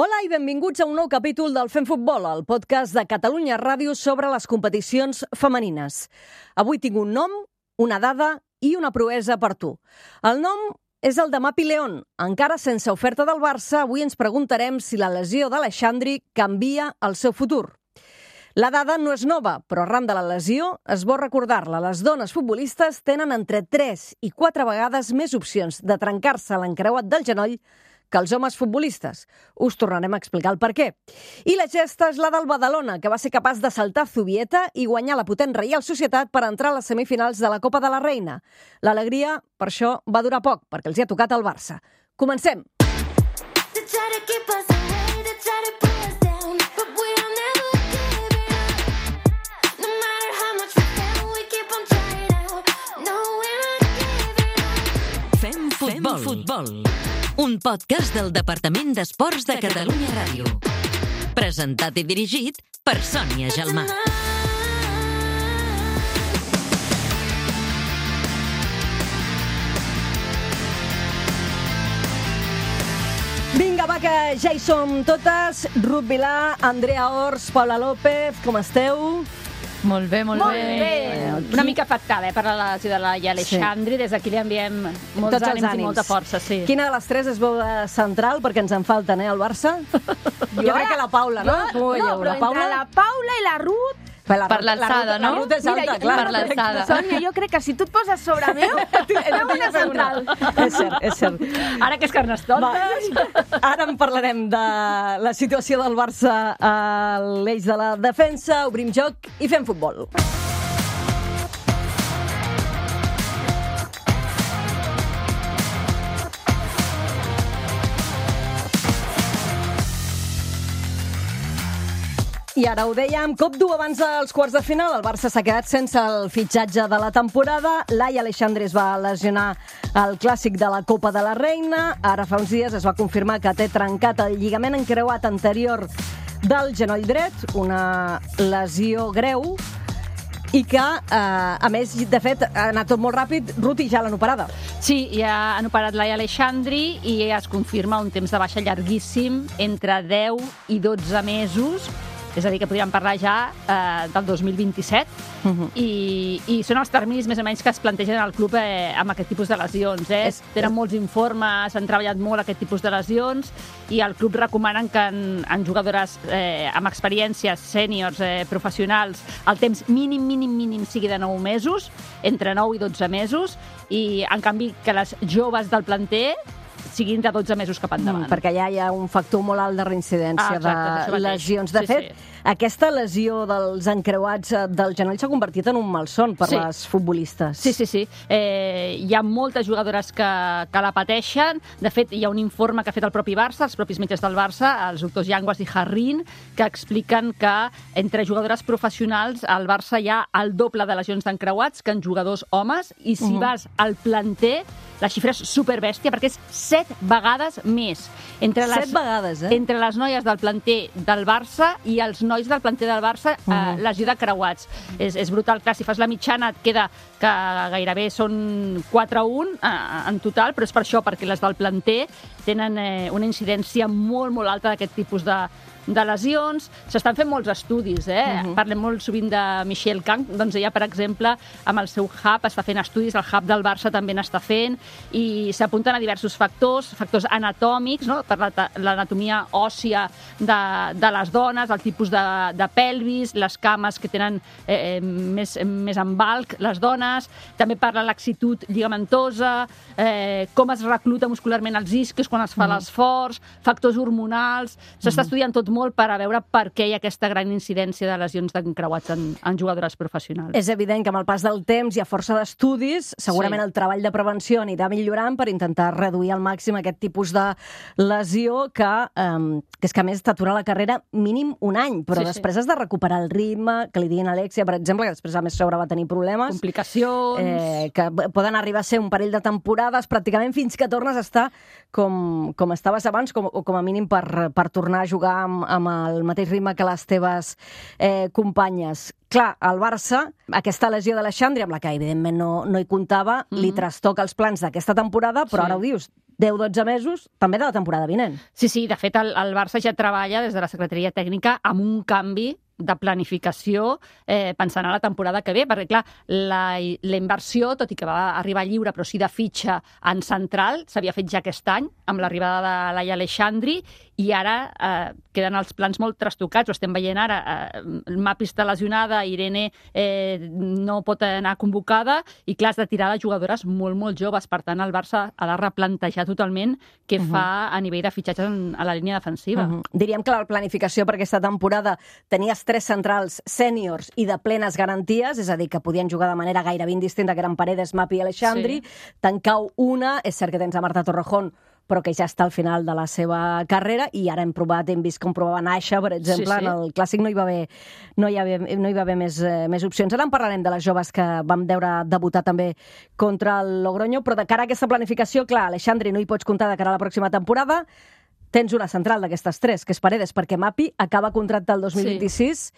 Hola i benvinguts a un nou capítol del Fem Futbol, el podcast de Catalunya Ràdio sobre les competicions femenines. Avui tinc un nom, una dada i una proesa per tu. El nom és el de Mapi León. Encara sense oferta del Barça, avui ens preguntarem si la lesió d'Alexandri canvia el seu futur. La dada no és nova, però arran de la lesió és bo recordar-la. Les dones futbolistes tenen entre 3 i 4 vegades més opcions de trencar-se l'encreuat del genoll que els homes futbolistes. Us tornarem a explicar el per què. I la gesta és la del Badalona, que va ser capaç de saltar Zubieta i guanyar la potent Reial Societat per entrar a les semifinals de la Copa de la Reina. L'alegria, per això, va durar poc, perquè els hi ha tocat al Barça. Comencem! Fem Futbol. Un podcast del Departament d'Esports de Catalunya Ràdio. Presentat i dirigit per Sònia Gelmà. Vinga, va, que ja hi som totes. Ruth Vilà, Andrea Ors, Paula López, com esteu? Molt bé, molt bé. Una mica afectada per la lesió de la Alexandri. Des d'aquí li enviem molts ànims i molta força. Sí. Quina de les tres es veu de central? Perquè ens en falten, al Barça? Jo crec que la Paula, no? No, però entre la Paula i la Ruth... Per l'alçada, no? La Ruth és alta, clar. Per l'alçada. Sònia, jo crec que si tu et poses sobre meu, feu una central. És cert. Ara que és Carnestoltes. Ara en parlarem de la situació del Barça a l'eix de la defensa. Obrim joc i fem futbol. I ara ho dèiem, cop dur abans dels quarts de final. El Barça s'ha quedat sense el fitxatge de la temporada. Laia Alexandri es va lesionar al clàssic de la Copa de la Reina. Ara fa uns dies es va confirmar que té trencat el lligament encreuat anterior del genoll dret, una lesió greu, i que, a més, de fet, ha anat tot molt ràpid. Ruth, i ja l'han operada. Sí, ja han operat Laia Alexandri i es confirma un temps de baixa llarguíssim, entre 10 i 12 mesos. És a dir, que podríem parlar ja del 2027, i són els terminis més o menys que es plantegen al club amb aquest tipus de lesions. Tenen molts informes, han treballat molt aquest tipus de lesions, i al club recomanen que en jugadores amb experiències, sèniors, professionals, el temps mínim sigui de 9 mesos, entre 9 i 12 mesos, i en canvi que les joves del planter siguin de 12 mesos cap endavant. Perquè allà hi ha un factor molt alt de reincidència de lesions. De fet, aquesta lesió dels encreuats del genoll s'ha convertit en un malson per les futbolistes. Sí. Hi ha moltes jugadores que la pateixen. De fet, hi ha un informe que ha fet el propi Barça, els propis metges del Barça, els doctors Yanguas i Jarrín, que expliquen que entre jugadores professionals al Barça hi ha el doble de lesions d'encreuats que en jugadors homes, i si vas al planter, la xifra és superbèstia, perquè és 7 vegades més. 7 vegades, Entre les noies del planter del Barça i els nois del planter del Barça, lesió de creuats. És brutal. Clar, si fas la mitjana et queda que gairebé són 4-1 en total, però és per això, perquè les del planter tenen una incidència molt, molt alta d'aquest tipus de lesions. S'estan fent molts estudis, Parlem molt sovint de Michelle Kang, doncs ella, per exemple, amb el seu hub està fent estudis, el hub del Barça també n'està fent, i s'apunten a diversos factors anatòmics, no? Per l'anatomia òssia de les dones, el tipus de pelvis, les cames que tenen més en valc, les dones, també parla de laxitud lligamentosa, com es recluta muscularment els isquios quan es fa l'esforç, factors hormonals. S'està estudiant tot molt per a veure per què hi ha aquesta gran incidència de lesions d'encreuats en jugadores professionals. És evident que amb el pas del temps i a força d'estudis, segurament el treball de prevenció anirà millorant per intentar reduir al màxim aquest tipus de lesió que és que a més t'atura la carrera mínim un any, però després has de recuperar el ritme, que li diguin a Alexia, per exemple, que després a més sobre va tenir problemes. Complicacions. Que poden arribar a ser un parell de temporades, pràcticament fins que tornes a estar com estaves abans, o com a mínim per tornar a jugar amb el mateix ritme que les teves companyes. Clar, el Barça, aquesta lesió de l'Alexandri, amb la que evidentment no hi comptava, li trastoca els plans d'aquesta temporada, però ara ho dius, 10-12 mesos, també de la temporada vinent. Sí, de fet, el Barça ja treballa des de la Secretaria Tècnica amb un canvi de planificació pensant en la temporada que ve, perquè, clar, la inversió, tot i que va arribar lliure, però sí de fitxa en central, s'havia fet ja aquest any, amb l'arribada de Laia Aleixandri, i ara queden els plans molt trastocats, ho estem veient ara, Mapi està lesionada, Irene no pot anar convocada, i clar, has de tirar de jugadores molt, molt joves, per tant, el Barça ha de replantejar totalment què fa a nivell de fitxatges a la línia defensiva. Diríem que la planificació per aquesta temporada tenies 3 centrals sèniors i de plenes garanties, és a dir, que podien jugar de manera gairebé indistinta, que eren Paredes, Mapi i Aleixandri. Tancau una, és cert que tens a Marta Torrejón, però que ja està al final de la seva carrera, i ara hem vist com provava Naixa, per exemple, en el Clàssic no hi va haver més opcions. Ara en parlarem de les joves que vam veure debutar també contra el Logroño, però de cara a aquesta planificació, clar, Aleixandri no hi pots comptar de cara a la pròxima temporada. Tens una central d'aquestes 3, que és Paredes, perquè Mapi acaba contracte el 2026.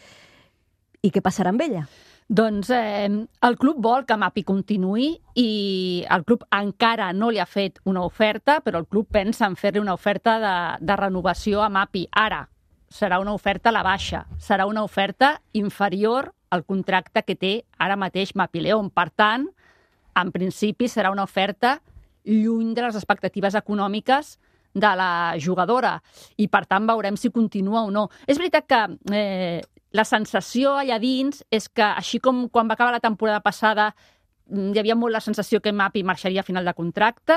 I què passarà amb ella? Doncs el club vol que Mapi continuï i el club encara no li ha fet una oferta, però el club pensa en fer-li una oferta de renovació a Mapi. Ara, serà una oferta a la baixa, serà una oferta inferior al contracte que té ara mateix Mapi León. Per tant, en principi serà una oferta lluny de les expectatives econòmiques de la jugadora, i per tant veurem si continua o no. És veritat que la sensació allà dins és que, així com quan va acabar la temporada passada hi havia molt la sensació que Mapi marxaria a final de contracte,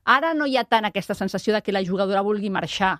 ara no hi ha tant aquesta sensació de que la jugadora vulgui marxar.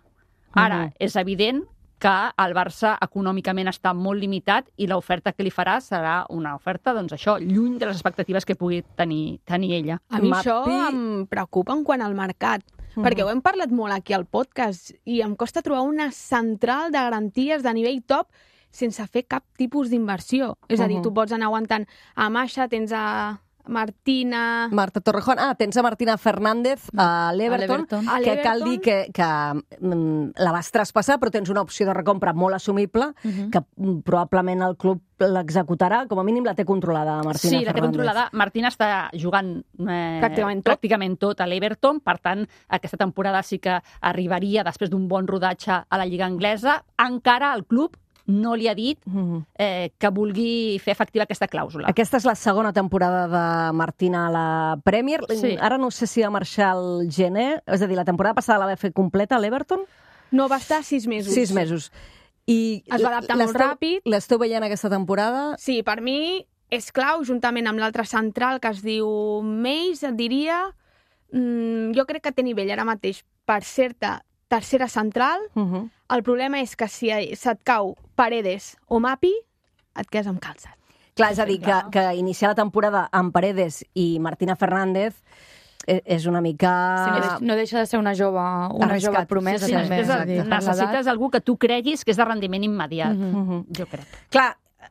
Ara és evident que el Barça econòmicament està molt limitat i l'oferta que li farà serà una oferta, doncs això, lluny de les expectatives que pugui tenir ella. A mi això em preocupa en quant al mercat, perquè ho hem parlat molt aquí al podcast i em costa trobar una central de garanties de nivell top sense fer cap tipus d'inversió. És a dir, tu pots anar aguantant a Masha, tens a Marta Torrejón. Tens a Martina Fernández a l'Everton, que cal dir que la vas traspassar, però tens una opció de recompra molt assumible, que probablement el club l'executarà, com a mínim la té controlada Martina Fernández. Sí, la té controlada. Martina està jugant pràcticament tot a l'Everton, per tant, aquesta temporada sí que arribaria després d'un bon rodatge a la Lliga Anglesa. Encara el club no li ha dit que vulgui fer efectiva aquesta clàusula. Aquesta és la segona temporada de Martina a la Premier. Sí. Ara no sé si va marxar al gener, és a dir, la temporada passada la va fer completa a l'Everton? No, va estar 6 mesos. 6 mesos. I es va adaptar molt ràpid. L'esteu veient aquesta temporada? Sí, per mi és clau, juntament amb l'altre central que es diu Meis, et diria. Jo crec que té nivell ara mateix per ser-te tercera central. El problema és que si se't cau Paredes o Mapi, et quedes amb calçat. Clar, és a dir, que iniciar la temporada amb Paredes i Martina Fernández és una mica... Sí, no deixa de ser una jove promesa. Sí, necessites algú que tu creguis que és de rendiment immediat, jo crec. Clar,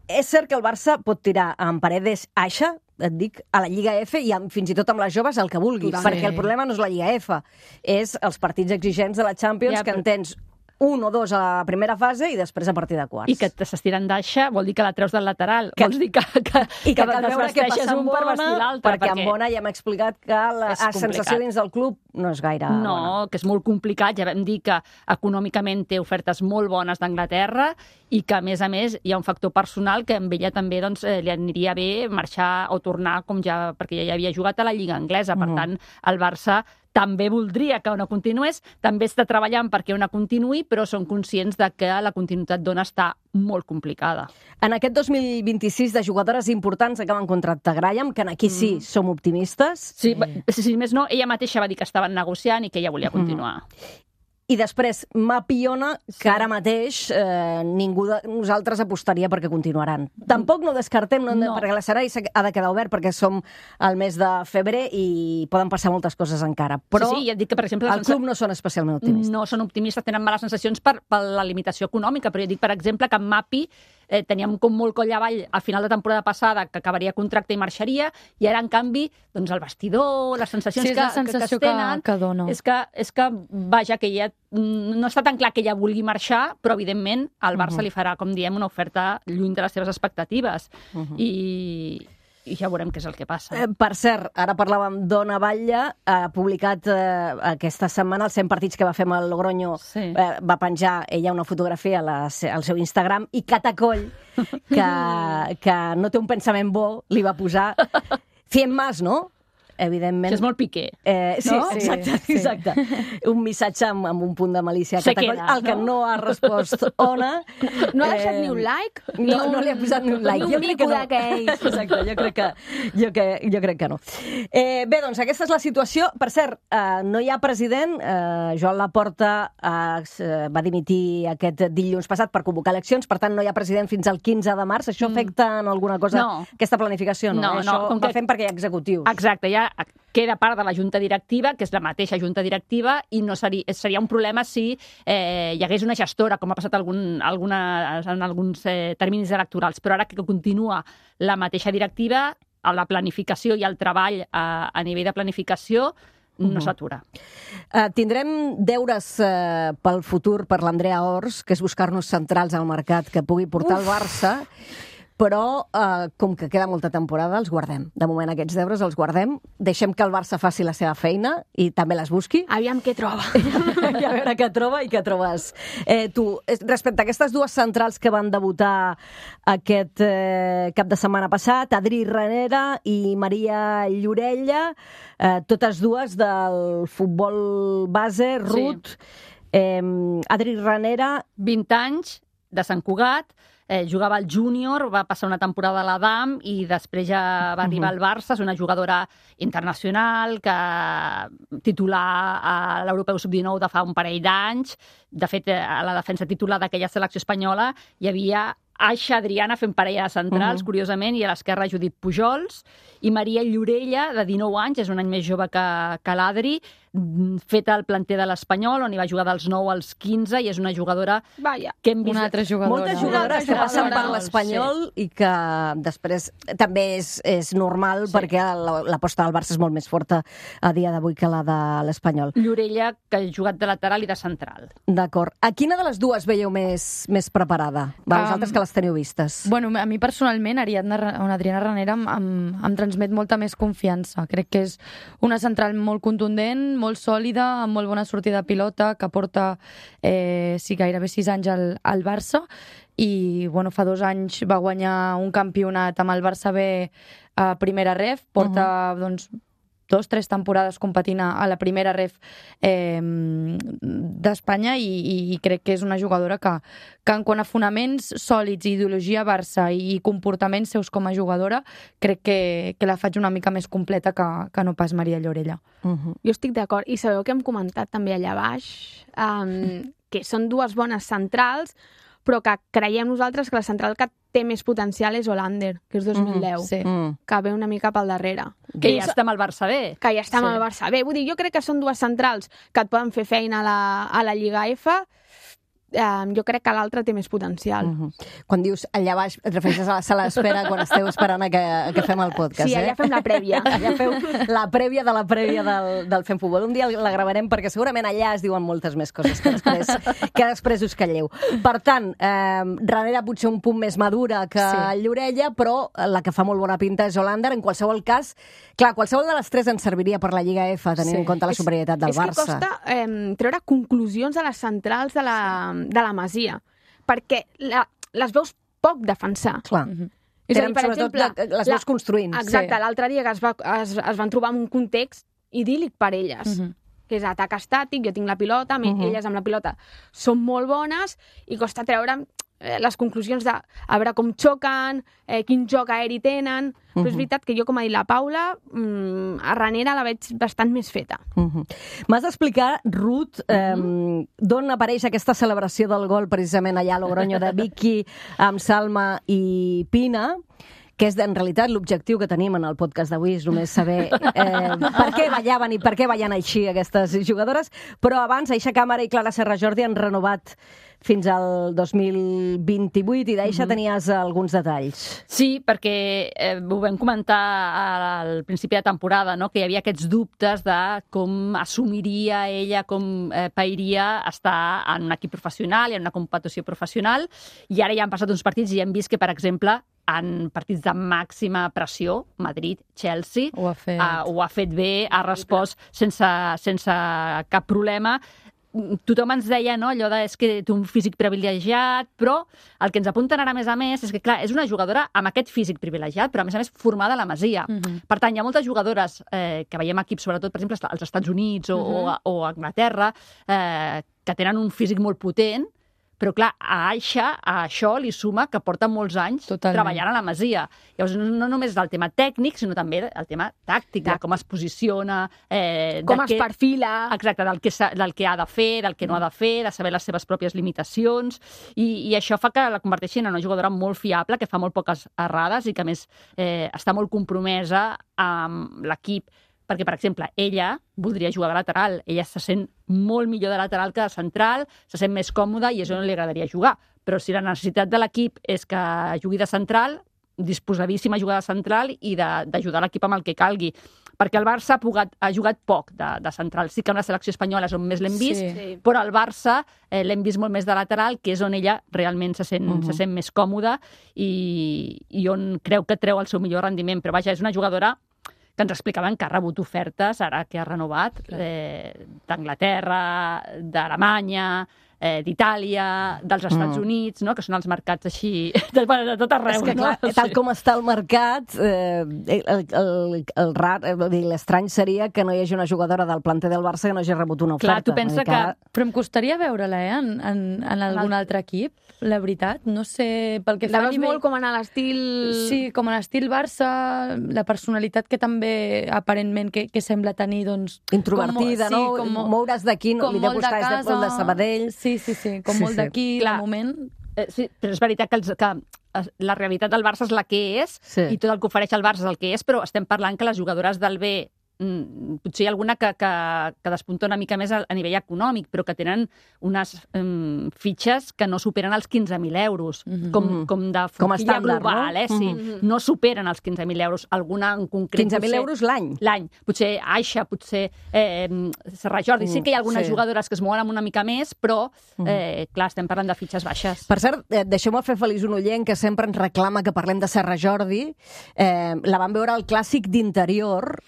és cert que el Barça pot tirar amb Paredes Aixa, et dic, a la Lliga F i fins i tot amb les joves el que vulguis, perquè el problema no és la Lliga F, és els partits exigents de la Champions, que en tens 1 o 2 a la primera fase i després a partir de quarts. I que s'estiren d'aixa vol dir que la treus del lateral. Vols dir que cal veure què passa amb Bona, perquè amb Bona ja hem explicat que la sensació dins del club no és gaire bona. No, que és molt complicat. Ja vam dir que econòmicament té ofertes molt bones d'Anglaterra i que, a més, hi ha un factor personal que amb ella també li aniria bé marxar o tornar, perquè ja havia jugat a la Lliga Anglesa. Per tant, el Barça també voldria que Ona continués, també està treballant perquè Ona continuï, però són conscients de que la continuïtat d'Ona està molt complicada. En aquest 2026 de jugadores importants acaben contracte Graham, que aquí sí som optimistes. Sí, si més no, ella mateixa va dir que estaven negociant i que ella volia continuar. I després, Mapi i Ona, que ara mateix ningú de nosaltres apostaria perquè continuaran. Tampoc no descartem, perquè l'escenari ha de quedar obert perquè som al mes de febrer i poden passar moltes coses encara. Però ja et dic que, per exemple, el club no són especialment optimistes. No són optimistes, tenen males sensacions per la limitació econòmica, però jo dic, per exemple, que amb Mapi teníem com molt coll avall al final de temporada passada que acabaria contracte i marxaria, i ara, en canvi, doncs el vestidor, les sensacions que es tenen, és que, vaja, que ja no està tan clar que ella vulgui marxar, però, evidentment, el Barça li farà, com diem, una oferta lluny de les seves expectatives. I i ja veurem què és el que passa. Per cert, ara parlàvem d'Ona Batlle, ha publicat aquesta setmana els 100 partits que va fer amb el Logroño, va penjar ella una fotografia al seu Instagram i Catacoll, que no té un pensament bo, li va posar 100 más, no? Evidentment. Això és molt Piqué. Sí, exacte. Un missatge amb un punt de malícia a Catacoll, al que no ha respost Ona. No ha deixat ni un like? No li ha posat ni un like. Ni un mico d'aquells. Exacte, jo crec que no. Bé, doncs aquesta és la situació. Per cert, no hi ha president. Joan Laporta va dimitir aquest dilluns passat per convocar eleccions, per tant no hi ha president fins al 15 de març. Això afecta en alguna cosa aquesta planificació? No, això va fent perquè hi ha executius. Exacte, ja queda part de la Junta Directiva, que és la mateixa Junta Directiva, i no seria un problema si hi hagués una gestora, com ha passat en alguns terminis electorals. Però ara que continua la mateixa directiva, la planificació i el treball a nivell de planificació no s'atura. Tindrem deures pel futur per l'Andrea Ors, que és buscar-nos centrals al mercat que pugui portar el Barça, però com que queda molta temporada, els guardem. De moment aquests deures els guardem. Deixem que el Barça faci la seva feina i també les busqui. Aviam què troba. I a veure què troba i què trobes. Tu, respecte a aquestes dues centrals que van debutar aquest cap de setmana passat, Adri Ranera i Maria Llorella, totes dues del futbol base, Ruth. Adri Ranera... 20 anys, de Sant Cugat, jugava al júnior, va passar una temporada a l'Adam i després ja va arribar al Barça. És una jugadora internacional que titular a l'Europeu Sub-19 de fa un parell d'anys. De fet, a la defensa titular d'aquella selecció espanyola hi havia Aixa Adriana fent parella de centrals, curiosament, i a l'esquerra Judit Pujols, i Maria Llorella, de 19 anys, és un any més jove que l'Adri, feta al planter de l'Espanyol, on hi va jugar dels 9 als 15, i és una jugadora que hem vist... Una altra jugadora. Moltes jugadores que passen per l'Espanyol i que després també és normal perquè l'aposta del Barça és molt més forta a dia d'avui que la de l'Espanyol. Llorella, que ha jugat de lateral i de central. D'acord. A quina de les dues veieu més preparada? Vosaltres que les teniu vistes. Bueno, a mi personalment, Adriana Ranera em transmet molta més confiança. Crec que és una central molt contundent, molt sòlida, amb molt bona sortida de pilota, que porta gairebé 6 anys al Barça, i bueno, fa 2 anys va guanyar un campionat amb el Barça B a primera ref, porta 2-3 temporades competint a la primera ref d'Espanya, i crec que és una jugadora que en quant a fonaments sòlids, ideologia Barça i comportaments seus com a jugadora, crec que la faig una mica més completa que no pas Maria Llorella. Jo estic d'acord. I sabeu que hem comentat també allà baix que són dues bones centrals, però que creiem nosaltres que la central que té més potencial és Hollander, que és 2010, que ve una mica pel darrere. Que ja està amb el Barça B. Que ja està amb el Barça B. Vull dir, jo crec que són dues centrals que et poden fer feina a la Lliga F. Jo crec que l'altre té més potencial. Quan dius allà baix, et refereixes a la sala d'espera quan esteu esperant que fem el podcast, Sí, allà fem la prèvia. Allà feu la prèvia de la prèvia del Fem Futbol. Un dia la gravarem perquè segurament allà es diuen moltes més coses que després us calleu. Per tant, Ranera potser un punt més madura que Llorella, però la que fa molt bona pinta és Hollander. En qualsevol cas, clar, qualsevol de les tres ens serviria per la Lliga F, tenint en compte la superioritat del Barça. És que costa treure conclusions a les centrals de la Masia, perquè les veus poc defensar. Clar. És a dir, per exemple, les veus construint. Exacte, l'altre dia que es van trobar en un context idíl·lic per elles, que és atac estàtic, jo tinc la pilota, elles amb la pilota són molt bones, i costa treure les conclusions de a veure com xoquen, quin joc aeri tenen, però és veritat que jo, com ha dit la Paula, a Ranera la veig bastant més feta. M'has d'explicar, Ruth, d'on apareix aquesta celebració del gol precisament allà a Logroño de Vicky amb Salma i Pina, que és en realitat l'objectiu que tenim en el podcast d'avui, és només saber per què ballaven i per què ballen així aquestes jugadores, però abans Aixa Càmera i Clara Serra Jordi han renovat fins al 2028 i d'Aixa tenies alguns detalls. Sí, perquè ho vam comentar al principi de temporada, no? Que hi havia aquests dubtes de com assumiria ella, com pairia estar en un equip professional i en una competició professional, i ara ja han passat uns partits i hem vist que, per exemple, en partits de màxima pressió, Madrid, Chelsea, Ho ha fet bé, ha respost sense cap problema. Tothom ens deia, no, allò de és que té un físic privilegiat, però el que ens apunten ara més a més és que, clar, és una jugadora amb aquest físic privilegiat, però a més formada a la Masia. Per tant, hi ha moltes jugadores que veiem equips, sobretot, per exemple, als Estats Units o a Anglaterra, que tenen un físic molt potent, però clar, a això li suma que porta molts anys treballant a la Masia. Llavors, no només del tema tècnic, sinó també el tema tàctic, de com es posiciona... com es perfila... Exacte, del que ha de fer, del que no ha de fer, de saber les seves pròpies limitacions, i això fa que la converteixin en una jugadora molt fiable, que fa molt poques errades i que, a més, està molt compromesa amb l'equip, perquè, per exemple, ella voldria jugar de lateral. Ella se sent molt millor de lateral que de central, se sent més còmoda i és on li agradaria jugar. Però si la necessitat de l'equip és que jugui de central, disposadíssima a jugar de central i d'ajudar l'equip amb el que calgui. Perquè el Barça ha jugat poc de central. Sí que amb la selecció espanyola és on més l'hem vist, però al Barça l'hem vist molt més de lateral, que és on ella realment se sent més còmoda i on creu que treu el seu millor rendiment. Però vaja, és una jugadora que ens explicaven que ha rebut ofertes, ara que ha renovat, d'Anglaterra, d'Alemanya, d'Itàlia, dels Estats Units, no? Que són els mercats així de tot arreu. És que, clar, tal com està el mercat, l'estrany seria que no hi hagi una jugadora del planter del Barça que no hagi rebut una oferta. Clar, tu pensa que... Però em costaria veure-la, en algun altre equip, la veritat. No sé, pel que fa a nivell... molt com en l'estil... Sí, com en l'estil Barça, la personalitat que també, aparentment, que sembla tenir, doncs... Introvertida, no? Moure's d'aquí, li deu costar de Sabadell... Sí, com molt d'aquí, de moment... Sí, però és veritat que la realitat del Barça és la que és, i tot el que ofereix el Barça és el que és, però estem parlant que les jugadores del B, potser hi ha alguna que despunta una mica més a nivell econòmic, però que tenen unes fitxes que no superen els 15.000 euros, com de forquilla global, sí. No superen els 15.000 euros, alguna en concret. 15.000 euros l'any? L'any. Potser Aixa, potser Serra Jordi. Sí que hi ha algunes jugadores que es mouen amb una mica més, però, clar, estem parlant de fitxes baixes. Per cert, deixeu-me fer feliç un oient que sempre ens reclama que parlem de Serra Jordi. La vam veure al Clàssic d'Interior,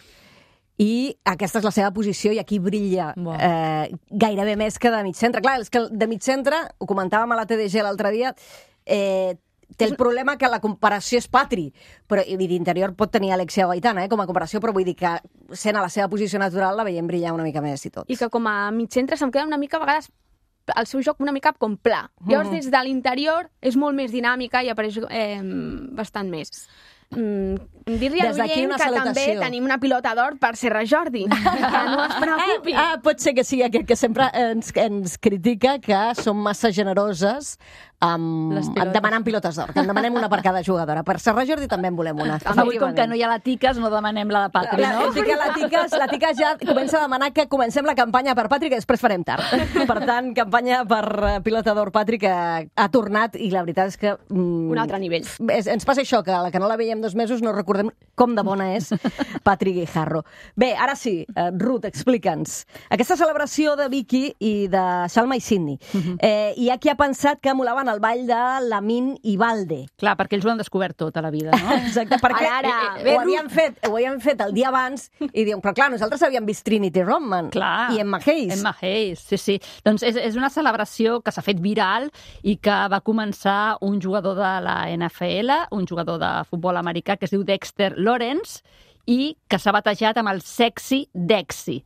i aquesta és la seva posició i aquí brilla gairebé més que de mig centre. Clar, és que de mig centre, ho comentàvem a la TDG l'altre dia, té el problema que la comparació és Patri, però d'Interior pot tenir Alexia Gaitana com a comparació, però vull dir que sent a la seva posició natural la veiem brillar una mica més i tot. I que com a mig centre se'm queda una mica a vegades el seu joc una mica com pla. Llavors des de l'interior és molt més dinàmica i apareix bastant més. Dir-li a l'oient que també tenim una pilota d'or per Serra Jordi, que no es preocupi. Pot ser que sigui aquest que sempre ens critica que som massa generoses demanant pilotes d'or, que en demanem una per cada jugadora. Per Serra Jordi també en volem una. Avui, com que no hi ha la Tiques, no demanem la de Patri, no? La Tiques ja comença a demanar que comencem la campanya per Patri, que després farem tard. Per tant, campanya per pilota d'or Patri, que ha tornat, i la veritat és que... Un altre nivell. Ens passa això, que la que no la veiem 2 mesos no recordem com de bona és Patri Guijarro. Bé, ara sí, Ruth, explica'ns. Aquesta celebració de Vicky i de Salma i Sidney, hi ha qui ha pensat que emulaven el ball de Lamin i Valde. Clar, perquè ells ho han descobert tot a la vida, no? Exacte, perquè ho havien fet el dia abans i diuen, però clar, nosaltres havíem vist Trinity Rodman i Emma Hayes. Emma Hayes, sí. Doncs és una celebració que s'ha fet viral i que va començar un jugador de la NFL, un jugador de futbol americà que es diu Dexter Lawrence i que s'ha batejat amb el Sexy Dexy.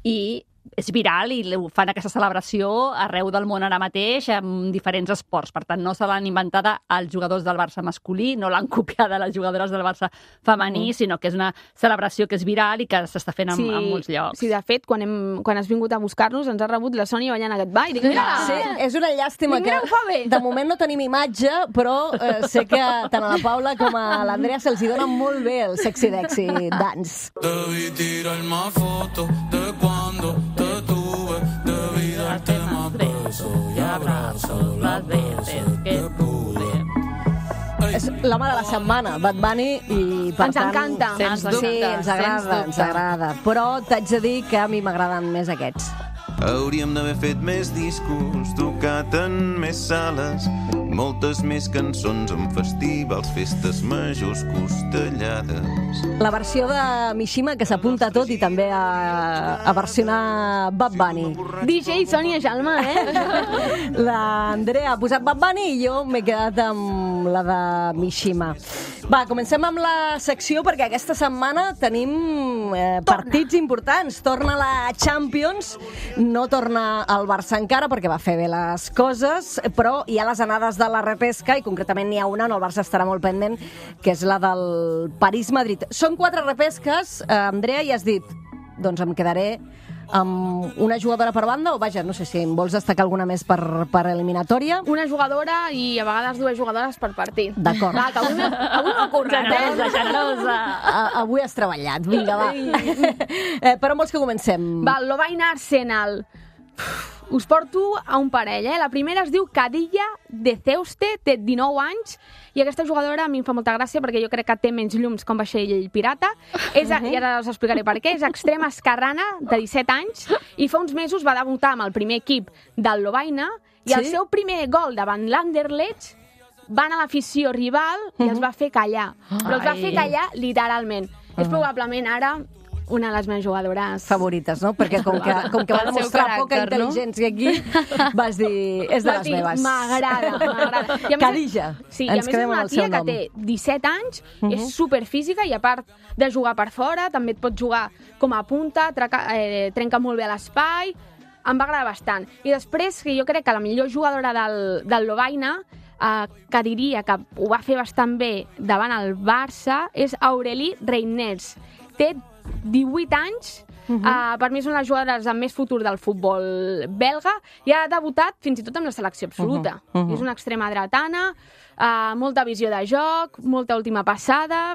I és viral i fan aquesta celebració arreu del món ara mateix amb diferents esports. Per tant, no se l'han inventada els jugadors del Barça masculí, no l'han copiada les jugadores del Barça femení, sinó que és una celebració que és viral i que s'està fent en molts llocs. Sí, de fet, quan has vingut a buscar-nos ens ha rebut la Sònia ballant aquest ball. Sí, és una llàstima que de moment no tenim imatge, però sé que tant a la Paula com a l'Andrea se'ls dona molt bé el Sexy Dexy dance. Debí tirarme fotos de cuando te tuve, debí darte más besos y abrazos las veces que pude. És l'home de la setmana, Bad Bunny, i per ens encanta. Sí, ens agrada. Però t'haig de dir que a mi m'agraden més aquests. Hauríem d'haver fet més discos, tocat en més sales, moltes més cançons en festivals, festes majors costellades. La versió de Mishima que s'apunta a tot i també a versionar Bad Bunny. DJ Sònia Jalma, L'Andrea ha posat Bad Bunny i jo m'he quedat amb la de Mishima. Va, comencem amb la secció perquè aquesta setmana tenim partits importants. Torna la Champions, no torna el Barça encara perquè va fer bé les coses, però hi ha les anades de la repesca i concretament n'hi ha una on el Barça estarà molt pendent, que és la del París-Madrid. Són 4 repesques, Andrea, i has dit, doncs em quedaré amb una jugadora per banda, o vaja, no sé si em vols destacar alguna més per eliminatòria. Una jugadora i a vegades 2 jugadores per partit. D'acord. Va, que avui m'ho currat, Generosa. Avui has treballat, vinga, va. Per on vols que comencem? Va, Lovaina Arsenal. Us porto a un parell, La primera es diu Kadija de Ceuste, té 19 anys, i aquesta jugadora a mi em fa molta gràcia perquè jo crec que té menys llums com vaixell pirata. I ara us explicaré per què. És extrema esquerrana, de 17 anys, i fa uns mesos va debutar amb el primer equip del Lovaina, i el seu primer gol davant l'Anderlecht va anar a l'afició rival i els va fer callar. Però els va fer callar literalment. És probablement ara una de les meves jugadores favorites, no? Perquè com que va demostrar poca intel·ligència aquí, vas dir, és de les meves. M'agrada. Kadija. Sí, i a més és una tia que té 17 anys, és superfísica i a part de jugar per fora, també et pot jugar com a punta, trenca molt bé l'espai, em va agradar bastant. I després, que jo crec que la millor jugadora del Lovaina, que diria que ho va fer bastant bé davant el Barça, és Aurélie Reiners. Té 18 anys, per mi és una de les jugadores amb més futur del futbol belga i ha debutat fins i tot amb la selecció absoluta. És una extrema dretana, molta visió de joc, molta última passada.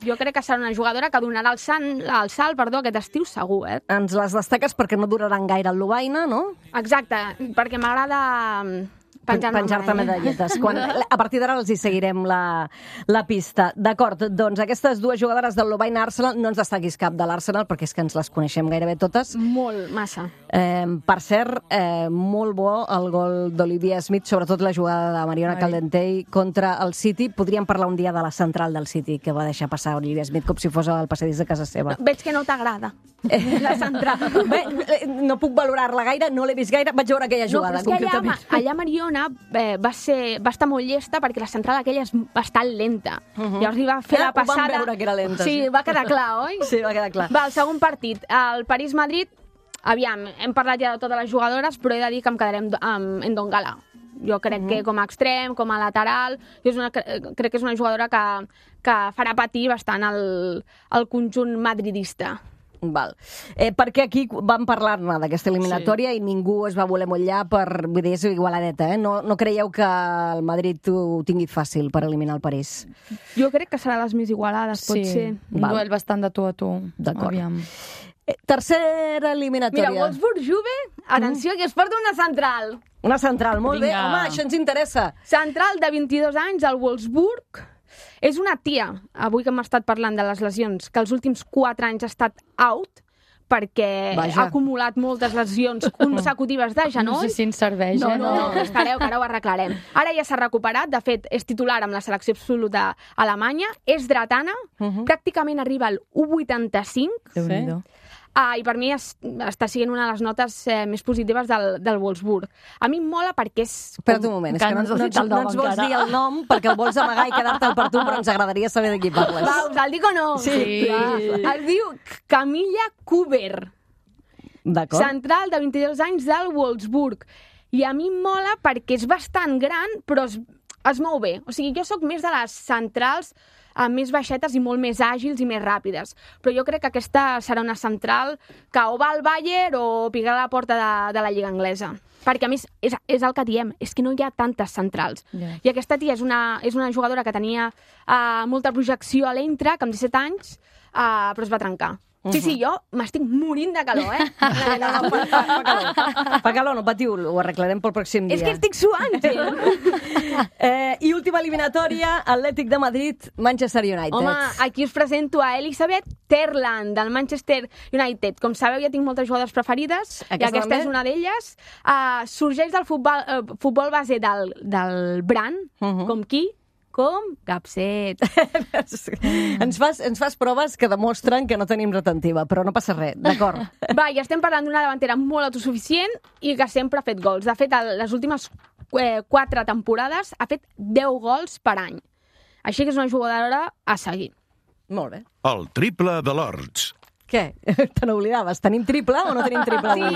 Jo crec que serà una jugadora que donarà el salt aquest estiu segur. Ens les destaques perquè no duraran gaire el Lovaina, no? Exacte, perquè m'agrada penjar-te medalletes. A partir d'ara els hi seguirem la pista. D'acord, doncs aquestes 2 jugadores del Lovaina Arsenal, no ens destaquis cap de l'Arsenal perquè és que ens les coneixem gairebé totes. Molt, massa. Per cert, molt bo el gol d'Olivia Smith, sobretot la jugada de Mariona Caldentey contra el City. Podríem parlar un dia de la central del City que va deixar passar Olivia Smith com si fos el passadís de casa seva. Veig que no t'agrada la central. Bé, no puc valorar-la gaire, no l'he vist gaire, vaig veure aquella jugada. No, però és que allà Mariona va estar molt llesta perquè la central aquella és bastant lenta. Llavors li va fer la passada... Ho vam veure que era lenta. Sí, va quedar clar, oi? Sí, va quedar clar. Va, el segon partit, el París-Madrid. Aviam, hem parlat ja de totes les jugadores, però he de dir que em quedaré amb Ndongala. Jo crec que com a extrem, com a lateral, crec que és una jugadora que farà patir bastant el conjunt madridista. Val. Perquè aquí vam parlar-ne d'aquesta eliminatòria i ningú es va voler mullar vull dir, és igualadeta, No creieu que el Madrid ho tingui fàcil per eliminar el París? Jo crec que serà les més igualades, pot ser. Un duel bastant de tu a tu. D'acord. Tercera eliminatòria. Mira, Wolfsburg-Juve, atenció, que es porta una central. Una central, molt bé. Home, això ens interessa. Central de 22 anys, al Wolfsburg. És una tia, avui que hem estat parlant de les lesions, que els últims 4 anys ha estat out, perquè ha acumulat moltes lesions consecutives de genoll. No sé si ens serveix, No, espereu, que ara ho arreglarem. Ara ja s'ha recuperat, de fet, és titular amb la selecció absoluta alemanya, és dretana, pràcticament arriba al 1,85. Déu-n'hi-do. I per mi està sent una de les notes més positives del Wolfsburg. A mi em mola perquè és... Espera't un moment, és que no ens vols dir el nom perquè el vols amagar i quedar-te'l per tu, però ens agradaria saber de qui parles. Va, us el dic o no? Sí. Es diu Camilla Kuber. D'acord. Central de 22 anys del Wolfsburg. I a mi em mola perquè és bastant gran, però es mou bé. O sigui, jo sóc més de les centrals més baixetes i molt més àgils i més ràpides. Però jo crec que aquesta serà una central que o va al Bayern o picarà a la porta de la Lliga Anglesa. Perquè, a més, és el que diem, és que no hi ha tantes centrals. Yeah. I aquesta tia és una jugadora que tenia molta projecció a l'Eintracht, amb 17 anys, però es va trencar. Sí, jo m'estic morint de calor, No, fa calor, no patiu, ho arreglarem pel pròxim dia. És que estic suant, gent. I última eliminatòria, Atlètic de Madrid, Manchester United. Home, aquí us presento a Elisabeth Terland, del Manchester United. Com sabeu, ja tinc moltes jugadores preferides, i aquesta és una d'elles. Sorgeix del futbol base del Bran, com qui? Com? Capset. Ens fas proves que demostren que no tenim retentiva, però no passa res, d'acord. Va, i estem parlant d'una davantera molt autosuficient i que sempre ha fet gols. De fet, les últimes 4 temporades ha fet 10 gols per any. Així que és una jugadora a seguir. Molt bé. El triple de l'Horts. Què? Te n'oblidaves? Tenim triple o no tenim triple? Sí,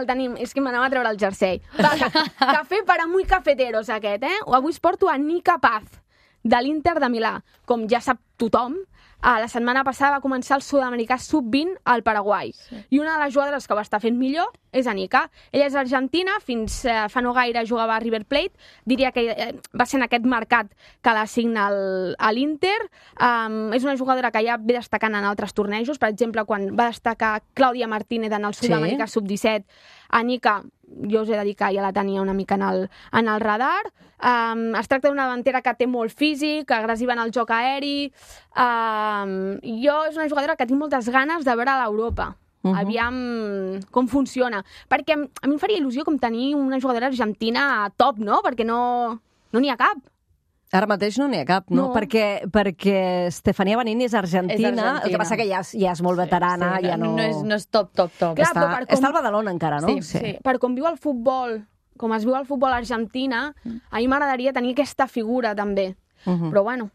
el tenim. És que m'anava a treure el jersei. Va, cafè para muy cafeteros, aquest, eh? Avui us porto a Nika Paz, de l'Inter de Milà. Com ja sap tothom, la setmana passada va començar el sud-americà sub-20 al Paraguai. Sí. I una de les jugadores que va estar fent millor és Nika. Ella és argentina, fins fa no gaire jugava a River Plate. Diria que va ser en aquest mercat que l'assigna a l'Inter. És una jugadora que ja ve destacant en altres tornejos. Per exemple, quan va destacar Clàudia Martínez en el sud-americà sub-17, Nika, jo us he de dir que ja la tenia una mica en el radar. Es tracta d'una davantera que té molt físic, agressiva en el joc aeri. Jo és una jugadora que tinc moltes ganes de veure a l'Europa. Aviam com funciona. Perquè a mi em faria il·lusió com tenir una jugadora argentina top, no? Perquè no n'hi ha cap. Ara mateix no n'hi ha cap, no? Perquè Stefania Banini és argentina, el que passa que ja és molt veterana. Sí, ja no és top. Clar, està al Badalona encara, no? Sí. Per com viu el futbol, com es viu el futbol a Argentina, a mi m'agradaria tenir aquesta figura també. Però bueno.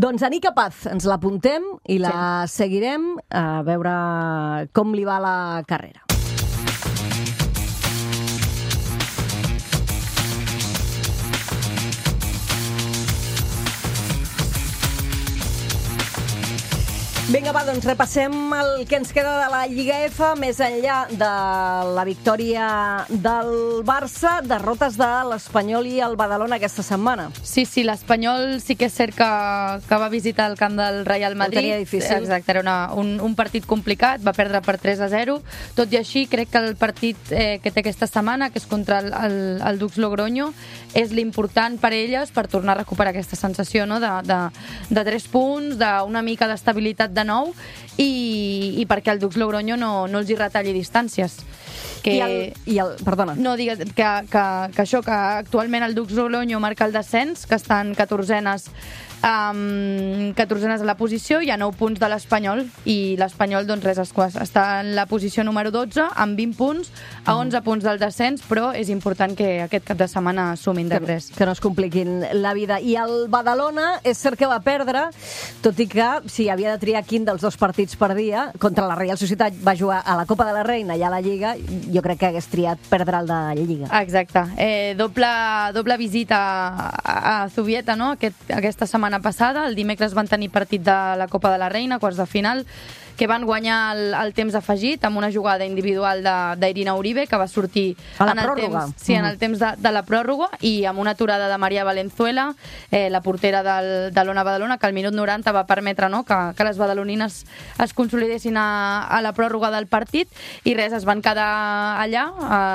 Doncs a Nika Paz ens l'apuntem i la seguirem a veure com li va la carrera. Vinga, va, doncs repassem el que ens queda de la Lliga F, més enllà de la victòria del Barça, derrotes de l'Espanyol i el Badalona aquesta setmana. Sí, l'Espanyol sí que és cert que va visitar el camp del Real Madrid. Ho tenia difícil. Exacte, era un partit complicat, va perdre per 3-0. Tot i així, crec que el partit que té aquesta setmana, que és contra el Dux Logroño, és l'important per elles per tornar a recuperar aquesta sensació, no? de 3 punts, d'una mica d'estabilitat de nou, i perquè el Dux Logroño no els hi retalli distàncies. Perdona. No, digues que això, que actualment el Dux Logroño marca el descens, que estan 14enes a la posició, hi ha 9 punts de l'Espanyol, i l'Espanyol doncs res, està en la posició número 12 amb 20 punts, a 11 punts del descens, però és important que aquest cap de setmana sumin de 3. Que no es compliquin la vida. I el Badalona és cert que va perdre, tot i que si havia de triar quin dels 2 partits per dia, contra la Real Societat va jugar a la Copa de la Reina i a la Lliga, jo crec que hagués triat perdre el de la Lliga. Exacte. Doble visita a Zubieta, no? Aquesta setmana passada. El dimecres van tenir partit de la Copa de la Reina, quarts de final, que van guanyar el temps afegit amb una jugada individual d'Irina Uribe, que va sortir en el temps de la pròrroga, i amb una aturada de Maria Valenzuela, la portera de l'Ona Badalona, que al minut 90 va permetre, no, que les badalonines es consolidessin a la pròrroga del partit, i res, es van quedar allà.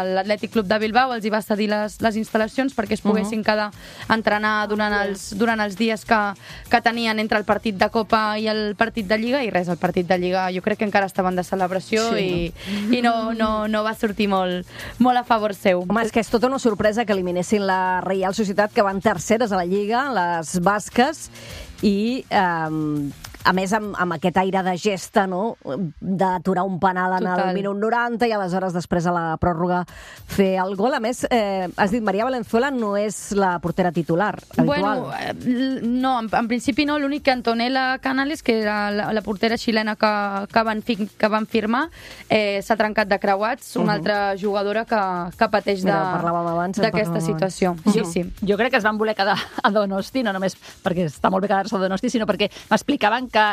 L'Atlètic Club de Bilbao els hi va cedir les instal·lacions perquè es poguessin quedar a entrenar durant els dies que tenien entre el partit de Copa i el partit de Lliga, i res, el partit de Lliga jo crec que encara estaven de celebració, i no va sortir molt a favor seu. Home, és que és tota una sorpresa que eliminessin la Real Societat, que van terceres a la Lliga, les basques, i a més amb aquest aire de gesta, no?, d'aturar un penal en el minut 90 i aleshores després a la pròrroga fer el gol. A més, has dit Maria Valenzuela no és la portera titular habitual. Bueno, no, en principi no. L'únic que Antonella Canales, que era la portera xilena que van firmar, s'ha trencat de creuats, una altra jugadora que pateix d'aquesta situació. Sí. Jo crec que es van voler quedar a Donosti, no només perquè està molt bé quedar-se a Donosti, sinó perquè m'explicaven que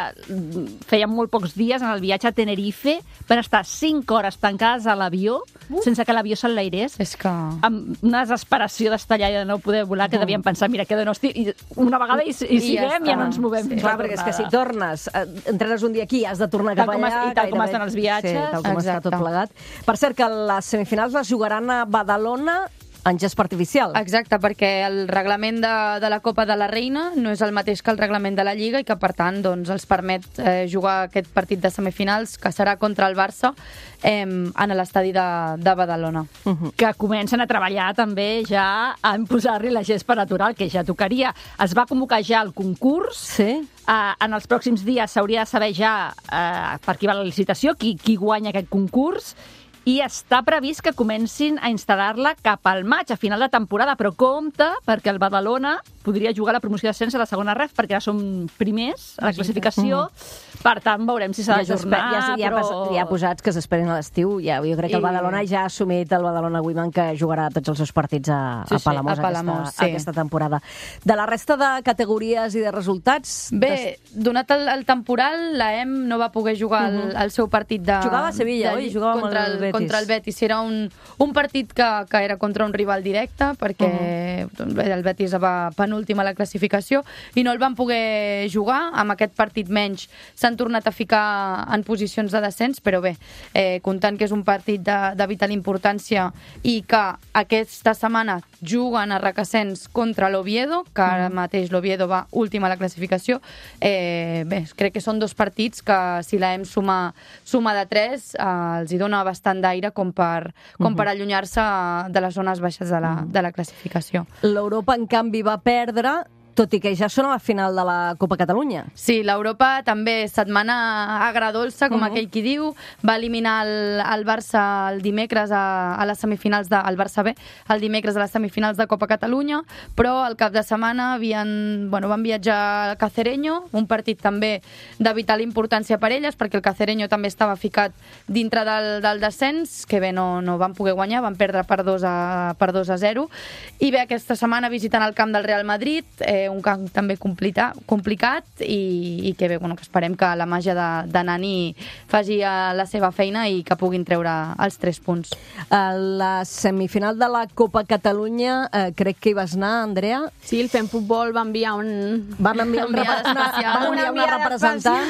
feien molt pocs dies en el viatge a Tenerife, van estar 5 hores tancades a l'avió sense que l'avió s'enlairés. És que... Amb una desesperació d'estar allà i de no poder volar, que devien pensar, mira, que de no estic... Una vegada i siguem, ja no ens movem. Sí, clar, perquè és que si tornes, entrenes un dia aquí i has de tornar cap allà... I tal com estan els viatges. Sí, tal com està tot plegat. Per cert, que les semifinals les jugaran a Badalona en gest artificial. Exacte, perquè el reglament de la Copa de la Reina no és el mateix que el reglament de la Lliga i que, per tant, doncs, els permet jugar aquest partit de semifinals, que serà contra el Barça, en l'estadi de Badalona. Que comencen a treballar també ja en posar-li la gespa natural, que ja tocaria. Es va convocar ja el concurs. Sí. En els pròxims dies s'hauria de saber ja per qui va la licitació, qui guanya aquest concurs, i està previst que comencin a instal·lar-la cap al maig, a final de temporada, però compte, perquè el Badalona podria jugar a la promoció d'ascens a la segona ref, perquè ara som primers a la classificació, per tant veurem si s'ha d'ajornar. Ja posats que s'esperen a l'estiu, jo crec que el Badalona ja ha assumit el Badalona Women, que jugarà tots els seus partits a Palamós aquesta temporada. De la resta de categories i de resultats... Bé, donat el temporal, l'EM no va poder jugar el seu partit de... Jugava a Sevilla, oi? Jugava amb el Betis. Contra el Betis. Era un partit que era contra un rival directe, perquè el Betis va penúltim a la classificació i no el van poder jugar. Amb aquest partit menys s'han tornat a ficar en posicions de descens, però bé, comptant que és un partit de vital importància i que aquesta setmana juguen a Requesens contra l'Oviedo, que ara mateix l'Oviedo va últim a la classificació. Bé, crec que són 2 partits que, si l'EM suma de 3, els hi dona bastant d'aire com per allunyar-se de les zones baixes de la classificació. L'Europa, en canvi, va perdre, tot i que ja són a la final de la Copa Catalunya. Sí, l'Europa també, setmana agradolça, com aquell qui diu, va eliminar el Barça el dimecres a les semifinals el Barça B, el dimecres a les semifinals de Copa Catalunya, però al cap de setmana van viatjar al Cacereño, un partit també de vital importància per elles, perquè el Cacereño també estava ficat dintre del descens, que bé, no van poder guanyar, van perdre per 2-0, i bé, aquesta setmana visiten el camp del Real Madrid, un camp també complicat i que bé, que esperem que la màgia de Nani faci la seva feina i que puguin treure els 3 punts. A la semifinal de la Copa Catalunya crec que hi vas anar, Andrea? Sí, el Fem Futbol va enviar una representant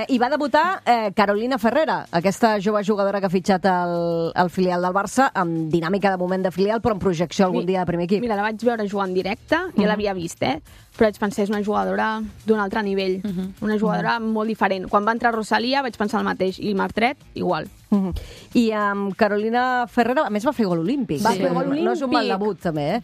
i va debutar Carolina Ferrera, aquesta jove jugadora que ha fitxat el filial del Barça, amb dinàmica de moment de filial, però en projecció algun dia de primer equip. Mira, la vaig veure jugar en directe, ja l'havia vist, però vaig pensar, és una jugadora d'un altre nivell, una jugadora molt diferent. Quan va entrar Rosalia vaig pensar el mateix, i Martret, igual. I amb Carolina Ferrera, a més, va fer gol olímpic. Va fer gol olímpic. No és un mal debut, també.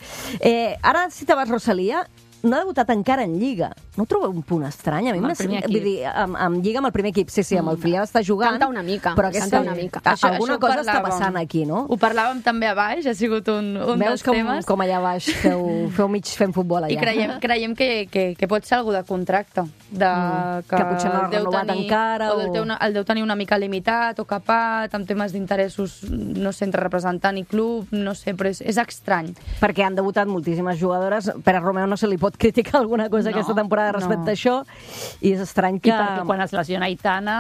Ara, si te vas Rosalia, no ha debutat encara en Lliga. No ho trobeu un punt estrany? A mi amb el primer equip. Vull dir, amb Lliga, amb el primer equip, sí, amb el filial està jugant. Canta una mica. Però alguna cosa està passant aquí, no? Ho parlàvem també a baix, ha sigut un dels temes. Veus com allà baix feu mig fent futbol allà. I creiem que pot ser algú de contracte. Que potser no ha renovat encara. O el deu tenir una mica limitat o capat, amb temes d'interessos, no sé, entre representant i club, no sé, però és estrany. Perquè han debutat moltíssimes jugadores. Per a Romeu no se li pot criticar alguna cosa aquesta temporada respecte a això, i és estrany que... I perquè quan es lesiona Aitana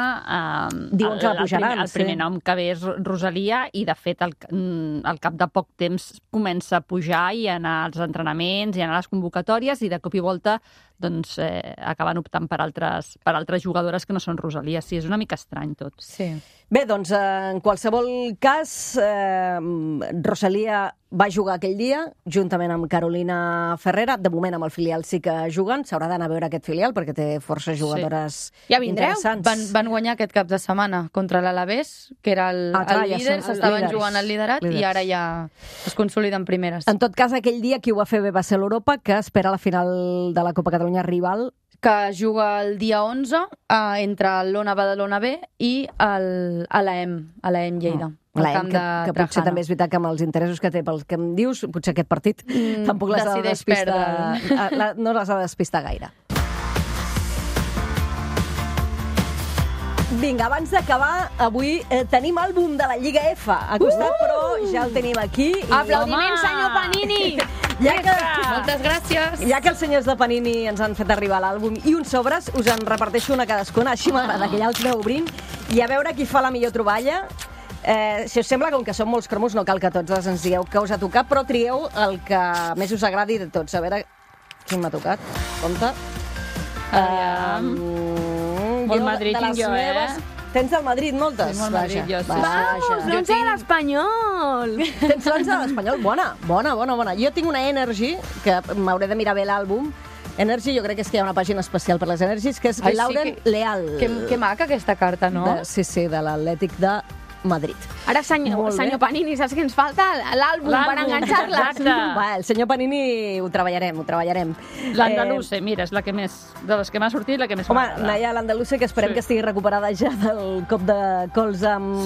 diuen que la pujaran. El primer nom que ve és Rosalia, i de fet al cap de poc temps comença a pujar i a anar als entrenaments i a anar a les convocatòries, i de cop i volta doncs acaben optant per altres jugadores que no són Rosalia. Sí, és una mica estrany tot. Sí. Bé, doncs, en qualsevol cas, Rosalia va jugar aquell dia, juntament amb Carolina Ferrera. De moment, amb el filial sí que juguen. S'haurà d'anar a veure aquest filial, perquè té forces jugadores interessants. Van guanyar aquest cap de setmana contra l'Alavés, que era el líder, s'estaven jugant al liderat, i ara ja es consoliden primeres. En tot cas, aquell dia qui ho va fer bé va ser l'Europa, que espera la final de la Copa Catalunya rival, que juga el dia 11 entre l'Ona Badalona B i l'AEM Lleida. L'AEM, que potser també és veritat que amb els interessos que té pel que em dius, potser aquest partit tampoc les ha de despistar. No les ha de despistar gaire. Vinga, abans d'acabar, avui tenim àlbum de la Lliga F a costat, però ja el tenim aquí. Aplaudiment, senyor Panini! Moltes gràcies. Ja que els senyors de Panini ens han fet arribar l'àlbum i uns sobres, us en reparteixo una cadascuna, així m'agrada que ja els aneu obrint, i a veure qui fa la millor troballa. Si us sembla, com que són molts cromos, no cal que tots ens digueu què us ha tocat, però trieu el que més us agradi de tots. A veure quin m'ha tocat. Compte. Molt Madrid tinc jo, Tens del Madrid moltes? Sí, molt Madrid, jo sí. Vamos, l'11 de l'Espanyol! Tens l'11 de l'Espanyol? Bona. Jo tinc una Energy, que m'hauré de mirar bé l'àlbum. Energy, jo crec que és que hi ha una pàgina especial per les Energies, que és Lauren Leal. Que maca aquesta carta, no? Sí, de l'Atlètic de Madrid. Ara, senyor Panini, saps què ens falta? L'àlbum per enganxar-les. El senyor Panini ho treballarem. L'Andaluce, mira, és la que més, de les que m'ha sortit, la que més m'agrada. Home, Naya, l'Andaluce, que esperem que estigui recuperada ja del cop de cols amb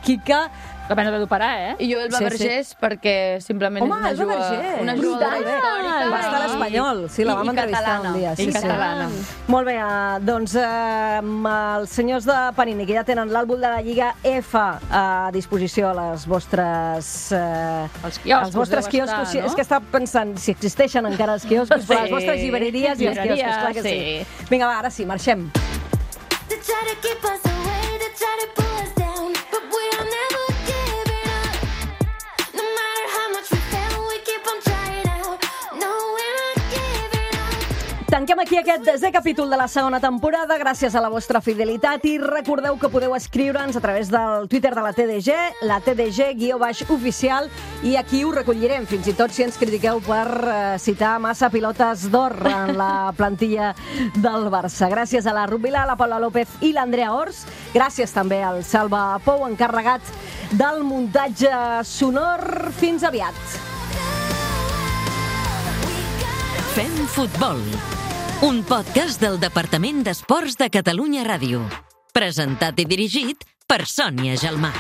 Kika. La pena de d'operar, I jo el Vergés, perquè simplement és una jugadora històrica. Va estar a l'Espanyol, sí, la vam entrevistar un dia. I catalana. Molt bé, doncs els senyors de Panini, que ja tenen l'àlbum de la Lliga F a disposició a les vostres... Els quioscos, és que estava pensant si existeixen encara els quioscos, però les vostres llibreries i els quioscos, clar que sí. Vinga, va, ara sí, marxem. Tanquem aquí aquest 10è capítol de la segona temporada gràcies a la vostra fidelitat i recordeu que podeu escriure'ns a través del Twitter de la TDG, la TDG_oficial, i aquí ho recollirem, fins i tot si ens critiqueu per citar massa pilotes d'or en la plantilla del Barça. Gràcies a la Rubila, la Paula López i l'Andrea Ors. Gràcies també al Salva Pou, encarregat del muntatge sonor. Fins aviat. Fem futbol. Un podcast del Departament d'Esports de Catalunya Ràdio. Presentat i dirigit per Sònia Gelmà.